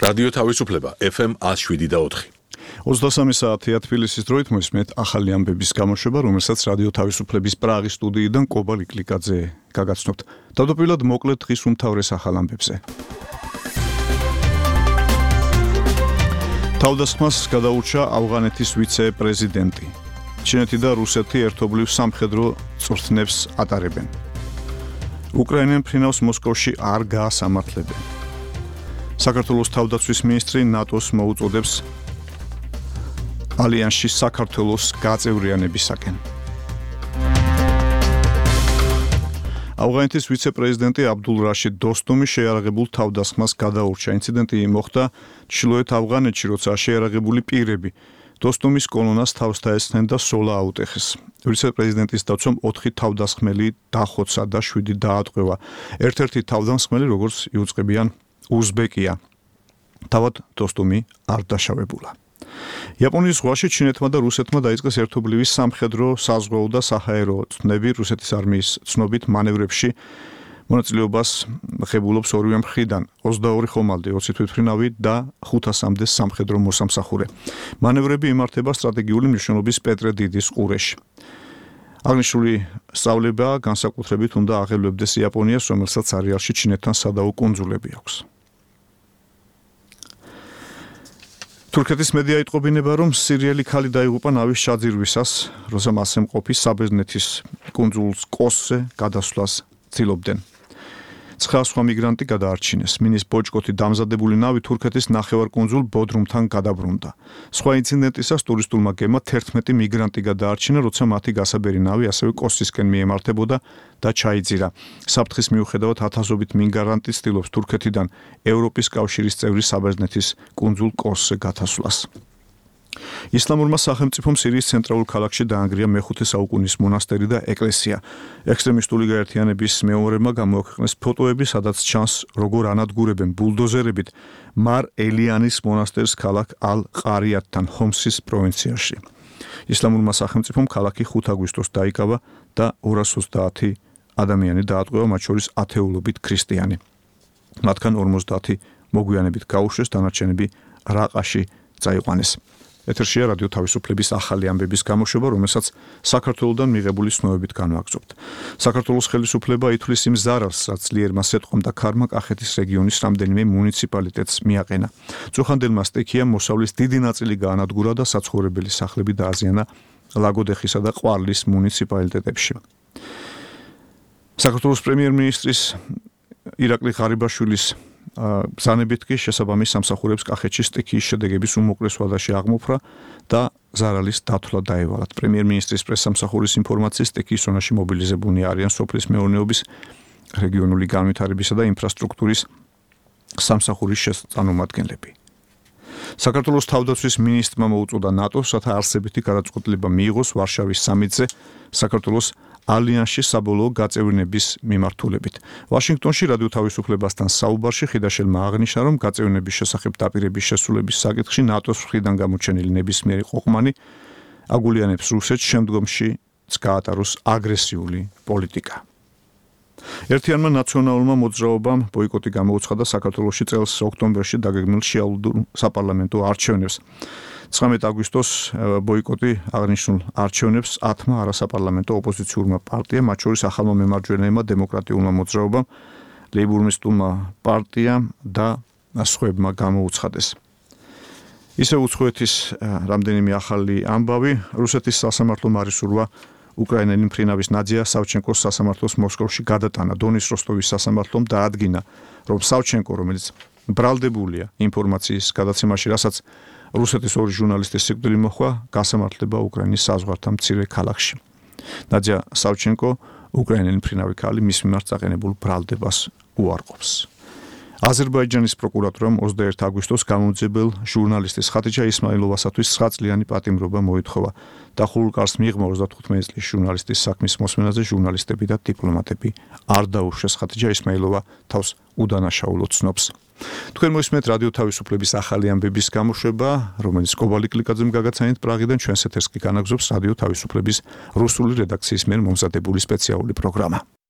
რადიო თავისუფლება FM 107.4. 23 საათია თბილისის დროით მოსმენთ ახალი ამბების გამოშვება, რომელსაც რადიო თავისუფლების პრაღის სტუდიიდან კობალ იკლიკაძე გაგაცნობთ. თავდაპირველად მოკლედ დღის უმთავრეს ახალ ამბებზე. თავდასხმას გადაურჩა ავღანეთის ვიცე-პრეზიდენტი. ჩინეთი და რუსეთი ერთობლივ სამხედრო წვრთნებს ატარებენ. უკრაინამ ფრინავს მოსკოვში არ გაასამართლებენ. საქართველოს თავდაცვის მინისტრი ნატოს მოუწოდებს ალიანსში საქართველოს გაწევრიანებისაკენ. ავღანეთის ვიცე-პრეზიდენტი აბდულ რაშიდ დოსტუმი შეიარაღებულ თავდასხმას გადაურჩა. ინციდენტი მოხდა ჩრდილოეთ ავღანეთში, როცა შეიარაღებული პირები დოსტუმის კოლონას თავს დაესხნენ და სოლა აუტეხეს. ვიცე-პრეზიდენტის დაცვამ 4 თავდასხმელი დახოცა და 7 დაატყვევა. ერთ-ერთი თავდამსხმელი, როგორც იუწყებიან, უზბეკია. თავად დოსტუმი არ დაშავებულა. იაპონიის ზღვაში ჩინეთმა და რუსეთმა დაიწყეს ერთობლივი სამხედრო, საზღვაო და საჰაერო წვრთნები. რუსეთის არმიის ცნობით მანევრებში მონაწილეობას ღებულობს ორივე მხრიდან 22 ხომალდი, 20 თვითმფრინავი და 500-მდე სამხედრო მოსამსახურე. მანევრები იმართება სტრატეგიული მნიშვნელობის პეტრე დიდის ყურეში. აღნიშნული სწავლება განსაკუთრებით უნდა აღელვებდეს იაპონიას, რომელსაც არეალში ჩინეთთან სადაო კუნძულები აქვს. თურქეთის მედია იტყობინება, რომ სირიელი ქალი დაიღუპა ნავის ჩაძირვისას, როცა მასზე მყოფი საბერძნეთის კუნძულს კოსზე გადასვლას ცდილობდნენ. 9 სხვა მიგრანტი გადაარჩინეს. მინის ბოჭკოთი დამზადებული ნავი თურქეთის ნახევარკუნძულ ბოდრუმთან გადაბრუნდა. სხვა ინციდენტისას ტურისტულმა გემმა 11 მიგრანტი გადაარჩინა, როცა მათი გასაბერი ნავი ასევე კოსისკენ მიემართებოდა და ჩაიძირა. საფრთხის მიუხედავად ათასობით მიგრანტი ცდილობს თურქეთიდან ევროპის კავშირის წევრი საბერძნეთის კუნძულ კოსზე გათასვლას. ისლამურმა სახელმწიფომ სირიის ცენტრალურ ქალაქში დაანგრია მე-5 საუკუნის მონასტერი და ეკლესია. ექსტრემისტული გაერთიანების მეომრებმა გამოაქვეყნეს ფოტოები, სადაც ჩანს, როგორ ანადგურებენ ბულდოზერებით მარ ელიანის მონასტერს ქალაქ ალ-ყარიათთან ჰომსის პროვინციაში. ისლამურმა სახელმწიფომ ქალაქი 5 აგვისტოს დაიკავა და 230 ადამიანი დაატყვევა, მათ შორის ათეულობით ქრისტიანი. მათგან 50 მოგვიანებით გაუშვეს, დანარჩენები რაყაში წაიყვანეს. ეთერშია რადიო თავისუფლების ახალი ამბების გამოშვება, რომელსაც საქართველოსდან მიღებული ცნობებით განვაგრძობთ. საქართველოს ხელისუფლება ითვლის იმ ზარალს, რაც ლიერმა სეტყომ და ქარმა კახეთის რეგიონის რამდენიმე მუნიციპალიტეტს მიაყენა. წუხანდელმა სტიქიამ მოსავლის დიდი ნაწილი გაანადგურა და საცხოვრებელი სახლები დააზიანა ლაგოდეხისა და ყვარლის მუნიციპალიტეტებში. საქართველოს პრემიერ-მინისტრის ირაკლი ღარიბაშვილის ბრძანებით კი შესაბამის სამსახურებს კახეთში სტიქიის შედეგების უმოკლეს ვადაში აღმოფრა და ზარალის დათვლა დაევალათ. პრემიერ-მინისტრის პრესსამსახურის ინფორმაციით სტიქიის ზონაში მობილიზებულნი არიან სოფლის მეურნეობის, რეგიონული განვითარებისა და ინფრასტრუქტურის სამსახურის შესწავლომადგენლები. საქართველოს თავდაცვის მინისტრმა მოუწოდა ნატოს, რათა არსებითი გადაწყვეტილება მიიღოს ვარშავის სამიტზე საქართველოს ალიანსში საბოლოო გაწევრიანების მიმართულებით. ვაშინგტონში რადიო თავისუფლებასთან საუბარში ხიდაშელმა აღნიშნა, რომ გაწევრიანების შესახებ დაპირების შესრულების საკითხში ნატოს მხრიდან გამოჩენილი ნებისმიერი ყოყმანი აგულიანებს რუსეთს შემდგომში გაატაროს აგრესიული პოლიტიკა. ერთიანმა ნაციონალურმა მოძრაობამ ბოიკოტი გამოუცხადა საქართველოში წელს ოქტომბერში დაგეგმილ შეალუდურ საპარლამენტო არჩევნებს. 19 აგვისტოს ბოიკოტი აღნიშნულ არჩევნებს 10-მა არასაპარლამენტო ოპოზიციურმა პარტიამ, მათ შორის ახალმა მემარჯვენეებმა, დემოკრატიულმა მოძრაობამ, ლეიბურისტულმა პარტიამ და სხვებმა გამოუცხადეს. ისე უცხოეთის რამდენიმე ახალი ამბავი. რუსეთის სასამართლომ არისურვა უკრაინელი მფრინავის ნადია სავჩენკოს სასამართლოს მოსკოვში გადატანა. დონის როსტოვის სასამართლომ დაადგინა, რომ სავჩენკო, რომელიც ბრალდებულია ინფორმაციის გადაცემაში, რასაც რუსეთის 2 ჟურნალისტის სიკვდილი მოჰყვა, გასამართლება უკრაინის საზღვართან მცირე ქალაქში. ნადია სავჩენკო, უკრაინელი მფრინავი ქალი, მის მიმართ წაყენებულ ბრალდებას უარყოფს. აზერბაიჯანის პროკურატურამ 21 აგვისტოს გამომძიებელ ჟურნალისტის ხატიჯა ისმაილოვასათვის 9 წლიანი პატიმრობა მოითხოვა. დახურულ კარს მიიღმა 35 წლის ჟურნალისტის საქმის მოსმენაზე ჟურნალისტები და დიპლომატები არ დაუშვეს. ხატიჯა ისმაილოვა თავს უდანაშაულოდ ცნობს. თქვენ მოისმენთ რადიო თავისუფლების ახალი ამბების გამოშვება, რომელიც კობალ იკლიკაძემ გაგაცანით პრაღიდან. ჩვენს ეთერს კი განაგზობს რადიო თავისუფლების რუსული რედაქციის მიერ მომზადებული სპეციალური პროგრამა.